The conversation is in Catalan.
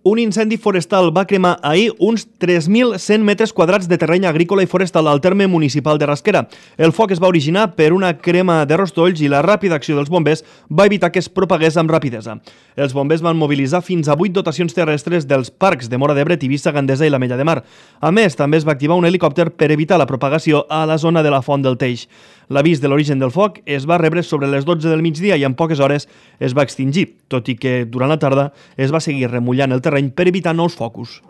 Un incendi forestal va cremar ahir uns 3.100 metres quadrats de terreny agrícola i forestal al terme municipal de Rasquera. El foc es va originar per una crema de rostolls i la ràpida acció dels bombers va evitar que es propagués amb rapidesa. Els bombers van mobilitzar fins a 8 dotacions terrestres dels parcs de Móra d'Ebre, Tivissa, Gandesa i l'Ametlla de Mar. A més, també es va activar un helicòpter per evitar la propagació a la zona de la Font del Teix. L'avís de l'origen del foc es va rebre sobre les 12 del migdia i en poques hores es va extingir, tot i que durant la tarda es va seguir remullant el terreny per evitar nous focus.